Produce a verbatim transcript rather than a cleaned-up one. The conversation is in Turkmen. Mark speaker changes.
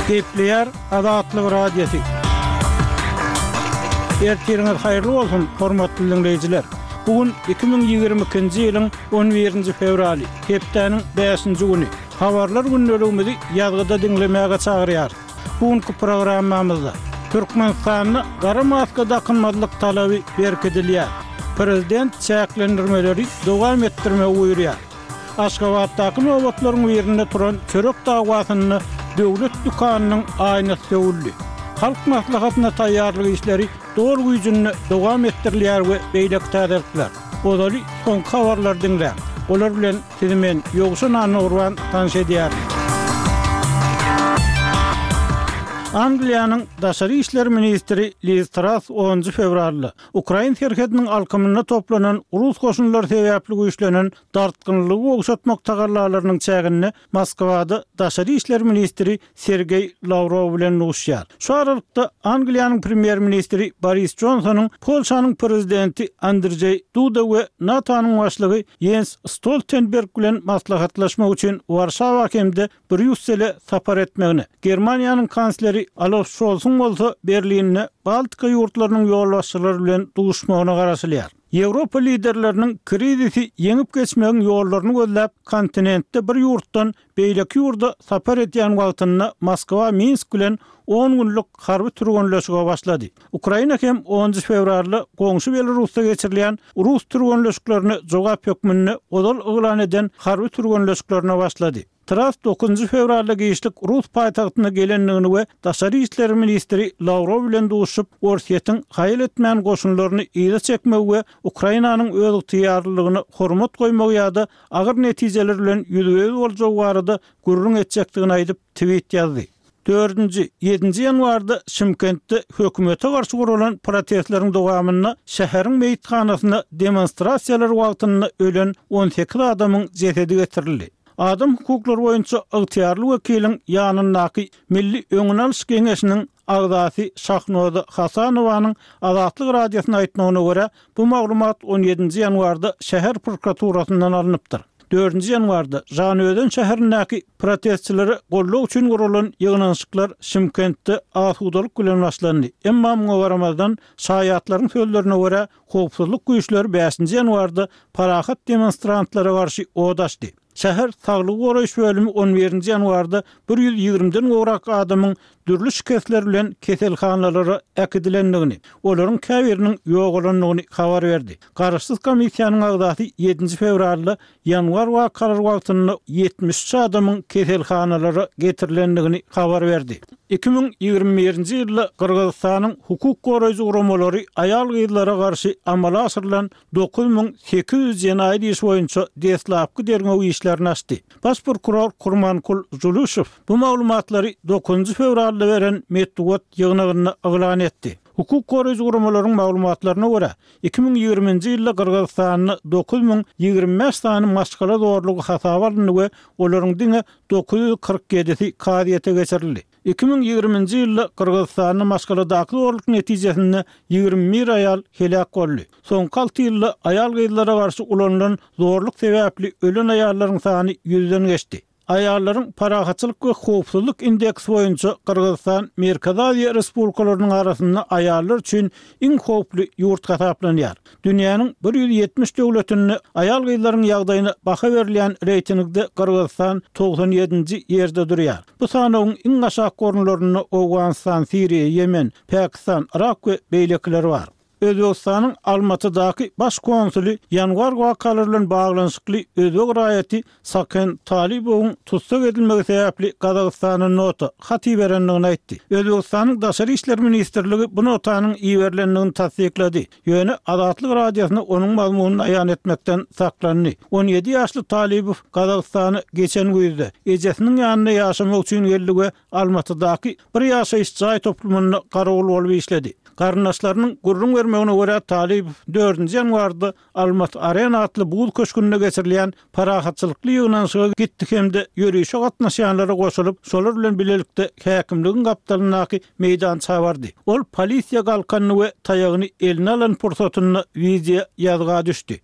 Speaker 1: Gepleýär Azatlyk Radiosy. Ertiriňiz haýyrly bolsun, hormatly diňleýjiler! Bu gün iki müň ýigrimi ikinji ýylyň on birinji fewraly, hepdäniň bäşinji güni. Habarlar gündeligimizi ýazgyda diňlemäge çagyrýarys. Bu günki programmamyzda Türkmenistanda gara maska dakynmazlyk talaby berkidilýär. Prezident çäklendirmeleri dowam etdirmegi buýurýar. Aşgabatdaky nobatlaryň birinde turan çörek dawasynda döwlet dükanynyň aýnasy döwüldi. Halk Maslahatyna taýýarlyk işleri doly güýjünde dowam etdirilýär we beýleki täzelikler. Ozaly soňky habarlary diňläň. Olar bilen sizi men, Ýowşan Annagurban tanyş edýärin. Angliýanyň daşary işler ministri Liz Trass onunjy fewralda ukrain serhediniň alkymynda toplanan rus goşunlary sebäpli güýçlenen dartgynlygy gowşatmak tagallalarynyň çäginde Moskwada daşary işler ministri Sergeý Lawrow bilen duşýar. Şu aralykda Angliýanyň premýer-ministri Boris Jonsonyň Polşanyň prezidenti Andrzeý Duda we NATO-nyň başlygy Ýens Stoltenberg bilen maslahatlaşmak üçin Warşawa hem-de Brýussele sapar etmegine, Germaniýanyň kansleri Olaf Şolsuň bolsa Berlinde Baltika ýurtlarynyň ýolbaşçylary bilen duşmagyna garaşylýar. Ýewropa liderleriniň krizisi ýeňip geçmegiň ýollaryny gözläp, kontinentde bir ýurtdan beýleki ýurda sapar edýän wagtynda Moskwa Minsk bilen on günlük harby türgenleşige başlady. Ukraina hem onunjy fewralda goňşy Belarusda geçirilýän rus türgenleşiklerine jogap hökmünde ozal yglan eden harby türgenleşiklerine başlady. Trass dokuzynjy fewralda giçlik rus paýtagtyna gelendigini we daşary işler ministri Lawrow bilen duşuşyp, Orsýetiň haýal etmän goşunlaryny yza çekmegi we Ukrainanyň özygtyýarlylygyna hormat goýmagy ýa-da agyr netijeler bilen ýüzbe-ýüz boljagy barada gürrüň etjekdigini aýdyp, tweet ýazdy. Dördünji, ýedinji ýanwarda Şymkentde hökümete garşy guralan protestleriň dowamynda şäheriň meýithanasyna demonstrasiýalar wagtynda ölen on sekiz adamyň jesedi getirildi. Adam hukuklary boýunça ygtyýarly wekiliň ýanyndaky Milli öňüni alyş geňeşiniň agzasy Şahnoza Hasanowanyň Azatlyk Radiosyna aýtmagyna görä, bu maglumat on ýedinji ýanwarda şäher prokuraturasyndan alnypdyr. Dördünji ýanwarda Žanözen şäherindäki protestçilere goldaw üçin guralan ýygnanyşyklar Şymkentde asudalyk bilen başlandy. Emma muňa garamazdan, şaýatlaryň sözlerine görä, howpsuzlyk güýçleri bäşinji ýanwarda parahat demonstrantlara garşy od açdy. Şäher saglygy goraýyş bölümi on birinji ýanwarda bir ýüz ýigrimiden gowrak adamyň dürli şikesler bilen keselhanalara äkidilendigini, olaryň käbiriniň ýogalandygyny habar berdi. Garaşsyz komissiýanyň agzasy ýedinji fewralda ýanwar wakalary wagtynda ýetmiş üç adamyň keselhanalara getirilendigini habar berdi. Iki müň ýigrimi birinji ýylda Gyrgyzystanyň hukuk goraýjy guramalary aýal-gyzlara garşy amala aşyrylan dokuz müň sekiz ýüz jenaýat işi boýunça deslapky derňew işlerini açdy. Baş prokuror Kurmankul Juluşow bu maglumatlary dokuzynjy fewralda beren metbugat ýygnagynda yglan etdi. Hukuk goraýjy guramalaryň maglumatlaryna görä, iki müň ýigriminji ýylda Gyrgyzystanda dokuz müň ýigrimi bäş sany maşgala zorlugy hasaba alyndy we olaryň diňe dokuz ýüz kyrk ýedisi kazyýete geçirildi. Iki müň ýigriminji ýylda Gyrgyzystanda maşgaladaky zorluk netijesinde ýigrimi bir aýal heläk boldy. Soňky alty ýylda aýal-gyzlara garşy ulanylan zorluk sebäpli ölen aýallaryň sany ýüzden geçdi. Aýallaryň parahatçylyk we howpsuzlyk indeksi boýunça Gyrgyzystan Merkezi Aziýa respublikalarynyň arasynda aýallar üçin iň howply ýurt hasaplanýar. Dünýäniň bir ýüz ýetmiş döwletinde aýal-gyzlaryň ýagdaýyna baha berilýän reýtingde Gyrgyzystan togsan ýedinji ýerde durýar. Bu sanawyň iň aşak orunlarynda Owganystan, Siriýa, Ýemen, Pakistan, Yrak we beýlekiler bar. Özbegistanyň Almatydaky baş konsuly ýanwar wakalary bilen baglanyşykly özbek raýaty Saken Talybowyň tussag edilmegi sebäpli Gazagystana nota, hat iberendigini aýtdy. Özbegistanyň Daşary işler ministrligi bu notanyň iberilendigini tassyklady, ýöne Azatlyk Radiosyna onuň mazmunyny aýan etmekden saklandy. On ýedi ýaşly Talybow Gazagystana geçen güýzde, ejesiniň ýanynda ýaşamak üçin geldi we Almatydaky bir ýaşaýyş jaý toplumynda garawul bolup işledi. Garyndaşlarynyň gürrüň bermegine görä, Talybow dördünji ýanwarda Almaty Arena atly buz köşgünde geçirilýän parahatçylykly ýygnanyşyga gitdi hem-de ýörişe gatnaşýanlara goşulyp, şolar bilen bilelikde häkimligiň gapdalyndaky meýdança bardy. Ol polisiýa galkanyny we taýagyny eline alan pursatynda wideo ýazga düşdi.